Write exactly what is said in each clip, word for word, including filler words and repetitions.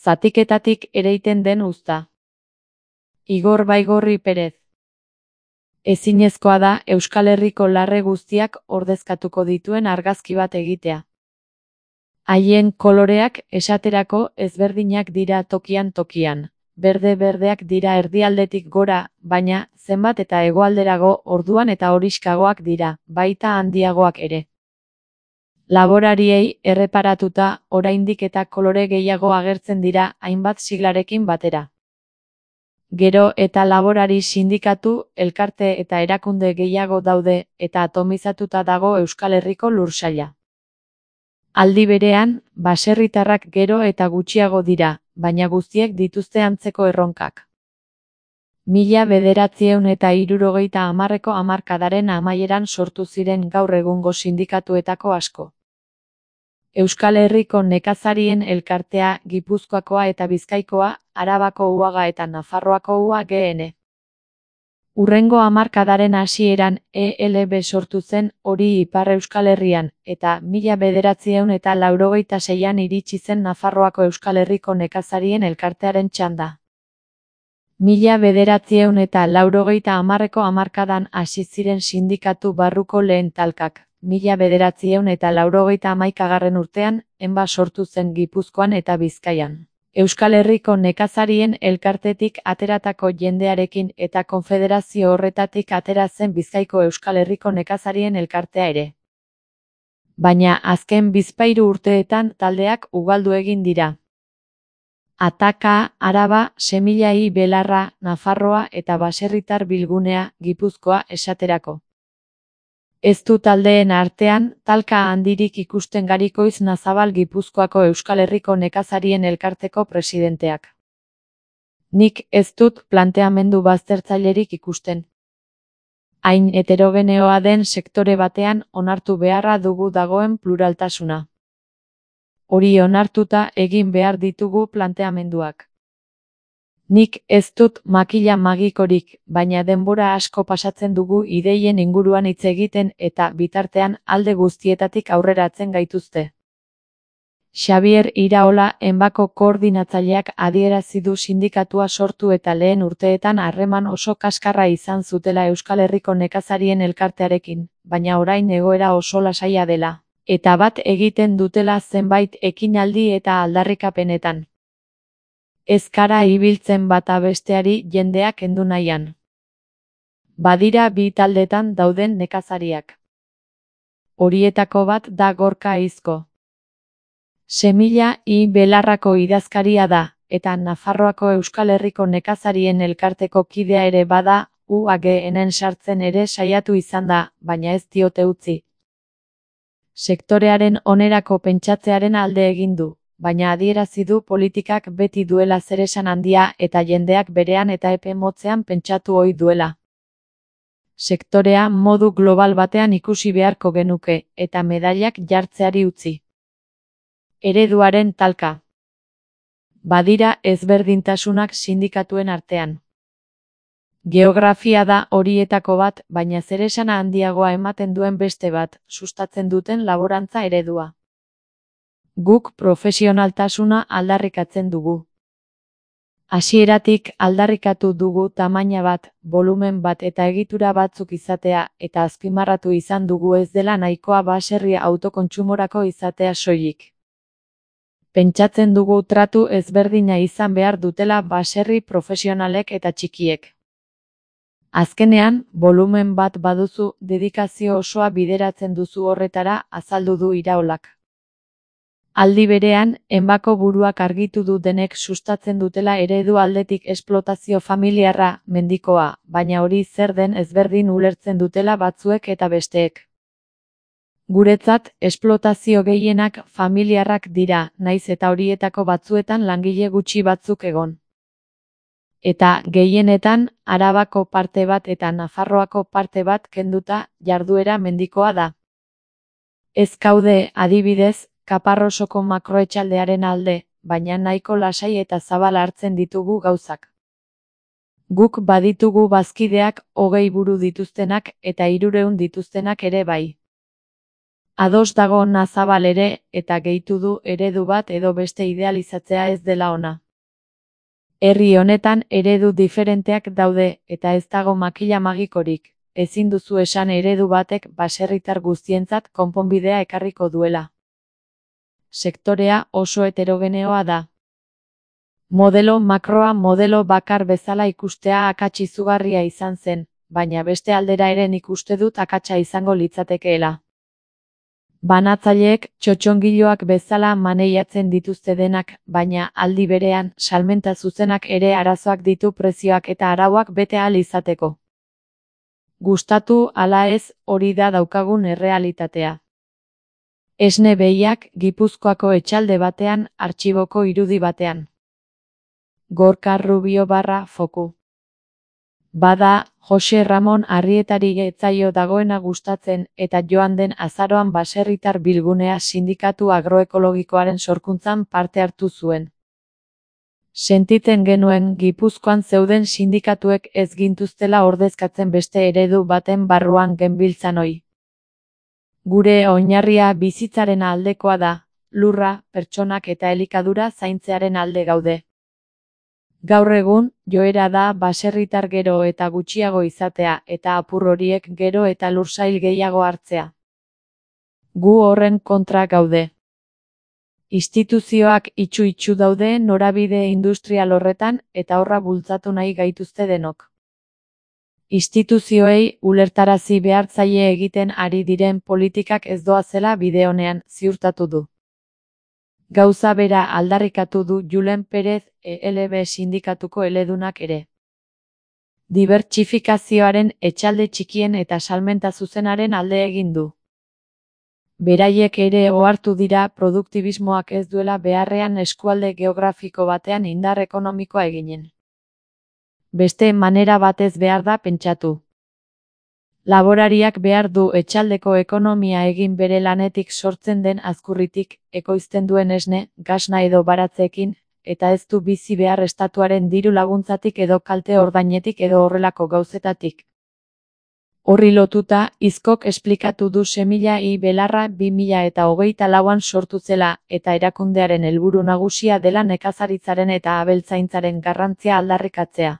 Zatiketatik ereiten den uzta. Igor Baigorri Perez. Ezinezkoa da Euskal Herriko larre guztiak ordezkatuko dituen argazki bat egitea. Haien koloreak esaterako ezberdinak dira tokian tokian. Berde-berdeak dira erdialdetik gora, baina zenbat eta hegoalderago orduan eta horixkagoak dira, baita handiagoak ere. Laborariei erreparatuta, oraindik eta kolore gehiago agertzen dira hainbat siglarekin batera. Gero eta laborari sindikatu, elkarte eta erakunde gehiago daude eta atomizatuta dago Euskal Herriko lursaila. Aldi berean, baserritarrak gero eta gutxiago dira, baina guztiek dituzte antzeko erronkak. Mila bederatziehun eta hirurogeita hamarreko hamarkadaren amaieran sortu ziren gaur egungo sindikatuetako asko. Euskal Herriko nekazarien elkartea, Gipuzkoakoa eta Bizkaikoa, Arabako Uhaga eta Nafarroako U A G N. Hurrengo hamarkadaren hasieran E L B sortu zen, hori Ipar Euskal Herrian, eta mila bederatziehun eta laurogeita seian iritsi zen Nafarroako Euskal Herriko nekazarien elkartearen txanda. Mila bederatziehun eta laurogeita hamarreko hamarkadan hasi ziren sindikatu barruko lehen talkak. Mila bederatziehun eta laurogeita hamaikagarren urtean, Enba sortu zen Gipuzkoan eta Bizkaian. Euskal Herriko nekazarien elkartetik ateratako jendearekin eta konfederazio horretatik atera zen Bizkaiko Euskal Herriko nekazarien elkartea ere. Baina azken bizpahiru urteetan taldeak ugaldu egin dira. Ataka, Araba, Semillai Belarra, Nafarroa eta Baserritar Bilgunea, Gipuzkoa esaterako. Ez du taldeen artean, talka handirik ikusten Garikoiz Nazabal Gipuzkoako Euskal Herriko nekazarien elkarteko presidenteak. Nik ez dut planteamendu baztertzailerik ikusten. Hain heterogeneoa den sektore batean onartu beharra dugu dagoen pluraltasuna. Hori onartuta egin behar ditugu planteamenduak. Nik ez dut makila magikorik, baina denbora asko pasatzen dugu ideien inguruan hitz egiten eta bitartean alde guztietatik aurreratzen gaituzte. Xabier Iraola Enbako koordinatzaileak adierazi du sindikatua sortu eta lehen urteetan harreman oso kaskarra izan zutela Euskal Herriko nekazarien elkartearekin, baina orain egoera oso lasaia dela, eta bat egiten dutela zenbait ekinaldi eta aldarrikapenetan. Ez kara ibiltzen bata besteari jendeak kendu nahian. Badira bi taldetan dauden nekazariak. Horietako bat da Gorka Izko. Semillai Belarrako idazkaria da, eta Nafarroako Euskal Herriko nekazarien elkarteko kidea ere bada, U A G N sartzen ere saiatu izan da, baina ez diote utzi. Sektorearen onerako pentsatzearen alde egin du, baina adierazi du politikak beti duela zeresan handia eta jendeak berean eta epe motzean pentsatu ohi duela. Sektorea modu global batean ikusi beharko genuke, eta medailak jartzeari utzi. Ereduaren talka. Badira ezberdintasunak sindikatuen artean. Geografia da horietako bat, baina zeresana handiagoa ematen duen beste bat, sustatzen duten laborantza eredua. Guk profesionaltasuna aldarrikatzen dugu. Hasieratik aldarrikatu dugu tamaina bat, volumen bat eta egitura batzuk izatea, eta azpimarratu izan dugu ez dela nahikoa baserri autokontsumorako izatea soilik. Pentsatzen dugu tratu ezberdina izan behar dutela baserri profesionalek eta txikiek. Azkenean, volumen bat baduzu, dedikazio osoa bideratzen duzu horretara, azaldu du Iraolak. Aldi berean, Enbako buruak argitu du denek sustatzen dutela eredu aldetik esplotazio familiarra, mendikoa, baina hori zer den ezberdin ulertzen dutela batzuek eta besteek. Guretzat, esplotazio gehienak familiarrak dira, naiz eta horietako batzuetan langile gutxi batzuk egon. Eta, gehienetan, Arabako parte bat eta Nafarroako parte bat kenduta, jarduera mendikoa da. Ez gaude, adibidez, Kaparrosoko makroetxaldearen alde, baina nahiko lasai eta zabal hartzen ditugu gauzak. Guk baditugu bazkideak hogei buru dituztenak eta hirurehun dituztenak ere bai. Ados dago Nazabal ere, eta gehitu du eredu bat edo beste idealizatzea ez dela ona. Herri honetan eredu diferenteak daude, eta ez dago makila magikorik, ezin duzu esan eredu batek baserritar guztientzat konponbidea ekarriko duela. Sektorea oso heterogeneoa da. Modelo makroa modelo bakar bezala ikustea akats izugarria izan zen, baina beste aldera ere nik uste dut akatsa izango litzatekeela. Banatzaileek txotxongiloak bezala maneiatzen dituzte denak, baina aldi berean salmenta zuzenak ere arazoak ditu prezioak eta arauak bete ahal izateko. Gustatu ala ez, hori da daukagun errealitatea. Esne behiak Gipuzkoako etxalde batean, artxiboko irudi batean. Gorka Rubio barra foku. Bada, Jose Ramon Arrietari etzaio dagoena gustatzen eta joan den azaroan baserritar bilgunea sindikatu agroekologikoaren sorkuntzan parte hartu zuen. Sentitzen genuen Gipuzkoan zeuden sindikatuek ez gintuztela ordezkatzen beste eredu baten barruan genbiltzan ohi. Gure oinarria bizitzaren aldekoa da, lurra, pertsonak eta elikadura zaintzearen alde gaude. Gaur egun, joera da baserritar gero eta gutxiago izatea eta apur horiek gero eta lursail gehiago hartzea. Gu horren kontra gaude. Instituzioak itxu-itxu daude norabide industrial horretan eta horra bultzatu nahi gaituzte denok. Instituzioei ulertarazi behartzaile egiten ari diren politikak ez doazela bide honean ziurtatu du. Gauza bera aldarrikatu du Julen Perez E L B sindikatuko eledunak ere. Dibertsifikazioaren etxalde txikien eta salmenta zuzenaren alde egin du. Beraiek ere ohartu dira produktibismoak ez duela beharrean eskualde geografiko batean indar ekonomikoa eginen. Beste manera batez behar da pentsatu. Laborariak behar du etxaldeko ekonomia egin bere lanetik sortzen den azkurritik, ekoizten duen esne, gasna edo baratzeekin, eta ez du bizi behar estatuaren diru laguntzatik edo kalte ordainetik edo horrelako gauzetatik. Horri lotuta, Izkok esplikatu du semilla i belarra bi mila eta hogeita lauan sortu zela, eta erakundearen helburu nagusia dela nekazaritzaren eta abeltzaintzaren garrantzia aldarrikatzea.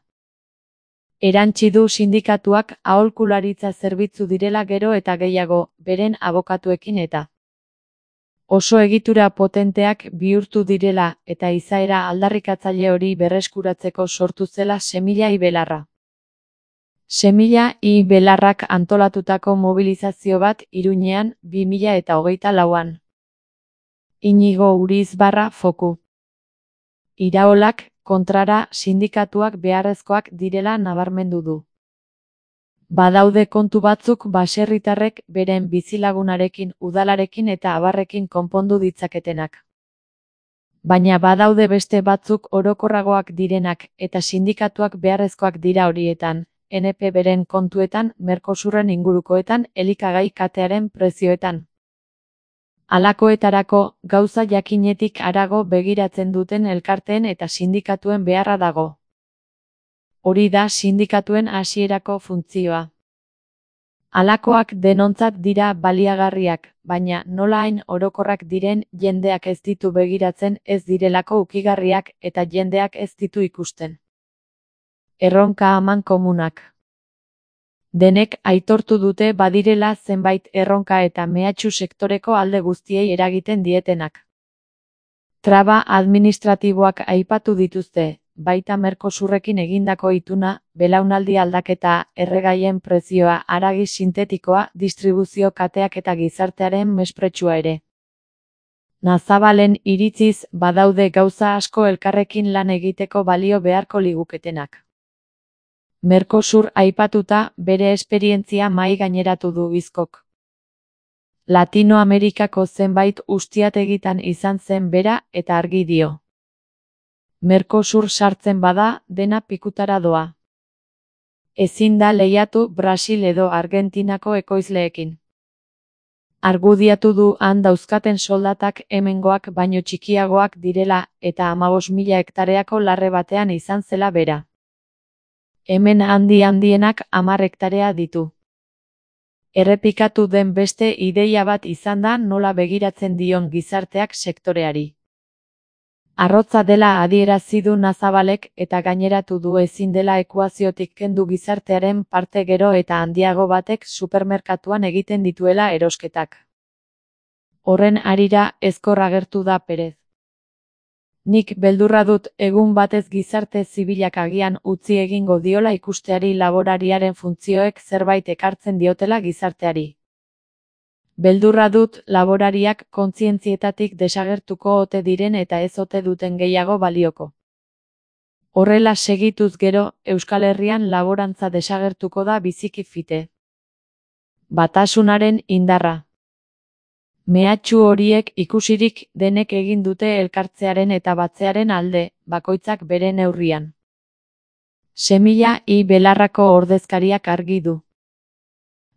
Erantsi du sindikatuak aholkularitza zerbitzu direla gero eta gehiago, beren abokatuekin eta oso egitura potenteak bihurtu direla eta izaera aldarrikatzaile hori berreskuratzeko sortu zela Semilla i Belarra. Semilla i Belarrak antolatutako mobilizazio bat Iruñean bi mila eta hogeita lauan. Inigo Uriz barra foku. Iraolak, kontrara, sindikatuak beharrezkoak direla nabarmendu du. Badaude kontu batzuk baserritarrek beren bizilagunarekin, udalarekin eta abarrekin konpondu ditzaketenak. Baina badaude beste batzuk orokorragoak direnak eta sindikatuak beharrezkoak dira horietan, N P beren kontuetan, Mercosurren ingurukoetan, elikagai katearen prezioetan. Halakoetarako, gauza jakinetik harago begiratzen duten elkarteen eta sindikatuen beharra dago. Hori da sindikatuen hasierako funtzioa. Halakoak denontzat dira baliagarriak, baina nola hain orokorrak diren jendeak ez ditu begiratzen ez direlako ukigarriak eta jendeak ez ditu ikusten. Erronka aman komunak. Denek aitortu dute badirela zenbait erronka eta mehatxu sektoreko alde guztiei eragiten dietenak. Traba administratiboak aipatu dituzte, baita Mercosurrekin egindako ituna, belaunaldi aldaketa, erregaien prezioa, haragi sintetikoa, distribuzio kateak eta gizartearen mespretxua ere. Nazabalen iritziz badaude gauza asko elkarrekin lan egiteko balio beharko liguketenak. Mercosur aipatuta, bere esperientzia mahai gaineratu du Izkok. Latinoamerikako zenbait ustiategitan izan zen bera eta argi dio. Mercosur sartzen bada, dena pikutara doa. Ezin da lehiatu Brasil edo Argentinako ekoizleekin. Argudiatu du han dauzkaten soldatak hemengoak baino txikiagoak direla eta hamabost mila hektareako larre batean izan zela bera. Hemen handi handienak hamar hektarea ditu. Errepikatu den beste ideia bat izan da nola begiratzen dion gizarteak sektoreari. Arrotza dela adierazi du Nazabalek eta gaineratu du ezin dela ekuaziotik kendu gizartearen parte gero eta handiago batek supermerkatuan egiten dituela erosketak. Horren harira ezkor agertu da Perez. Nik beldurra dut egun batez gizarte zibilak agian utzi egingo diola ikusteari laborariaren funtzioek zerbait ekartzen diotela gizarteari. Beldurra dut laborariak kontzientzietatik desagertuko ote diren eta ez ote duten gehiago balioko. Horrela segituz gero, Euskal Herrian laborantza desagertuko da biziki fite. Batasunaren indarra. Mehatxu horiek ikusirik denek egin dute elkartzearen eta batzearen alde, bakoitzak bere neurrian. Semilla i belarrako ordezkariak argi du.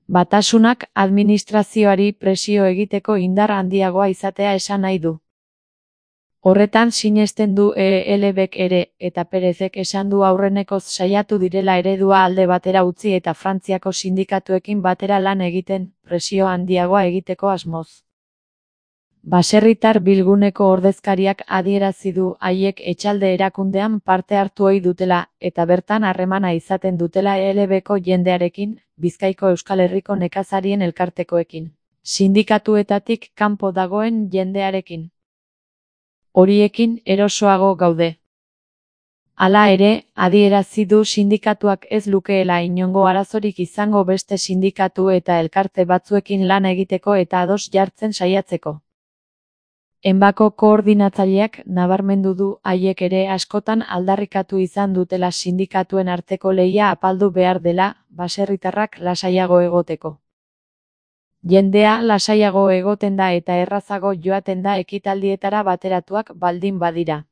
Batasunak administrazioari presio egiteko indar handiagoa izatea esan nahi du. Horretan sinesten du E L Bek ere, eta Perezek esan du aurrenekoz saiatu direla eredua alde batera utzi eta Frantziako sindikatuekin batera lan egiten, presio handiagoa egiteko asmoz. Baserritar bilguneko ordezkariak adierazi du haiek etxalde erakundean parte hartu ohi dutela, eta bertan harremana izaten dutela E L Beko jendearekin, Bizkaiko Euskal Herriko nekazarien elkartekoekin, sindikatuetatik kanpo dagoen jendearekin. Horiekin erosoago gaude. Hala ere, adierazi du sindikatuak ez lukeela inongo arazorik izango beste sindikatu eta elkarte batzuekin lan egiteko eta ados jartzen saiatzeko. Enbako koordinatzaileak nabarmendu du haiek ere askotan aldarrikatu izan dutela sindikatuen arteko lehia apaldu behar dela, baserritarrak lasaiago egoteko. Jendea lasaiago egoten da eta errazago joaten da ekitaldietara bateratuak baldin badira.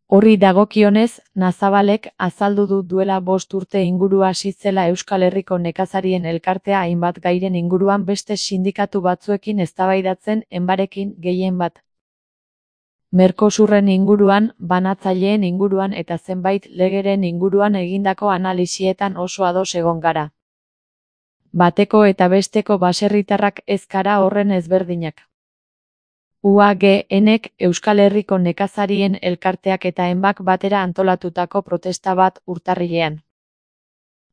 Horri dagokionez, Nazabalek azaldu du duela bost urte inguru hasi zela Euskal Herriko nekazarien elkartea hainbat gairen inguruan beste sindikatu batzuekin eztabaidatzen enbarekin gehien bat. Mercosurren inguruan, banatzaileen inguruan eta zenbait legeren inguruan egindako analisietan oso ados egon gara. Bateko eta besteko baserritarrak ez gara horren ezberdinak. U A G Nek Euskal Herriko nekazarien elkarteak eta enbak batera antolatutako protesta bat urtarrilean.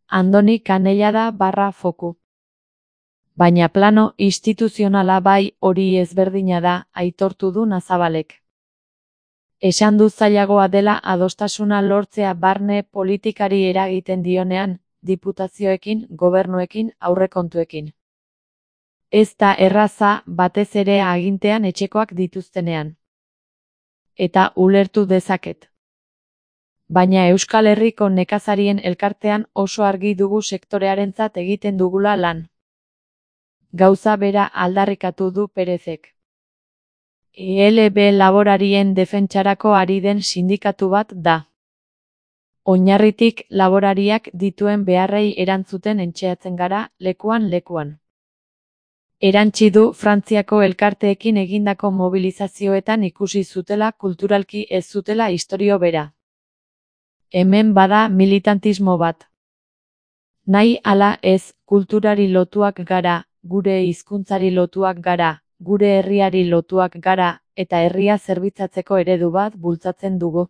Andoni Kanellada barra foku. Baina plano instituzionala bai hori ezberdina da, aitortu du Nazabalek. Esan du zailagoa dela adostasuna lortzea barne politikari eragiten dionean, diputazioekin, gobernuekin, aurrekontuekin. Ez da erraza batez ere agintean etxekoak dituztenean. Eta ulertu dezaket. Baina Euskal Herriko nekazarien elkartean oso argi dugu sektorearentzat egiten dugula lan. Gauza bera aldarrikatu du Perezek. E L B laborarien defentsarako ari den sindikatu bat da. Oinarritik laborariak dituen beharrei erantzuten entxeatzen gara, lekuan lekuan. Erantsi du Frantziako elkarteekin egindako mobilizazioetan ikusi zutela kulturalki ez zutela istorio bera. Hemen bada militantismo bat. Nahi ala ez, kulturari lotuak gara, gure hizkuntzari lotuak gara, gure herriari lotuak gara, eta herria zerbitzatzeko eredu bat bultzatzen dugu.